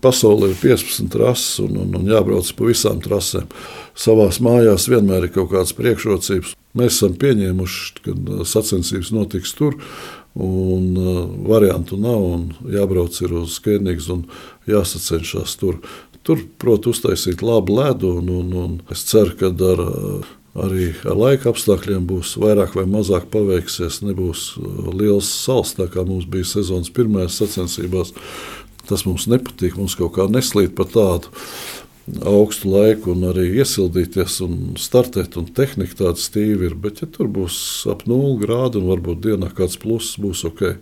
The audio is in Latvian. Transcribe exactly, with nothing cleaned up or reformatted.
Pasaulē ir piecpadsmit trases un, un, un jābrauc pa visām trasēm. Savās mājās vienmēr ir kaut kādas priekšrocības. Mēs esam pieņēmuši, ka sacensības notiks tur, un uh, variantu nav, un jābrauc ir uz Kēnigs un jāsacenšas tur. Tur, protams, uztaisīt labu ledu, un, un, un es ceru, ka ar, arī ar laika apstākļiem būs vairāk vai mazāk paveiksies. Nebūs liels sals, tā kā mums bija sezonas pirmajās sacensībās. Tas mums nepatīk, mums kaut kā neslīd pa tādu augstu laiku un arī iesildīties un startēt, un tehnika tāda stīva ir. Bet, ja tur būs ap nulli grādi un varbūt dienā kāds pluss, būs ok.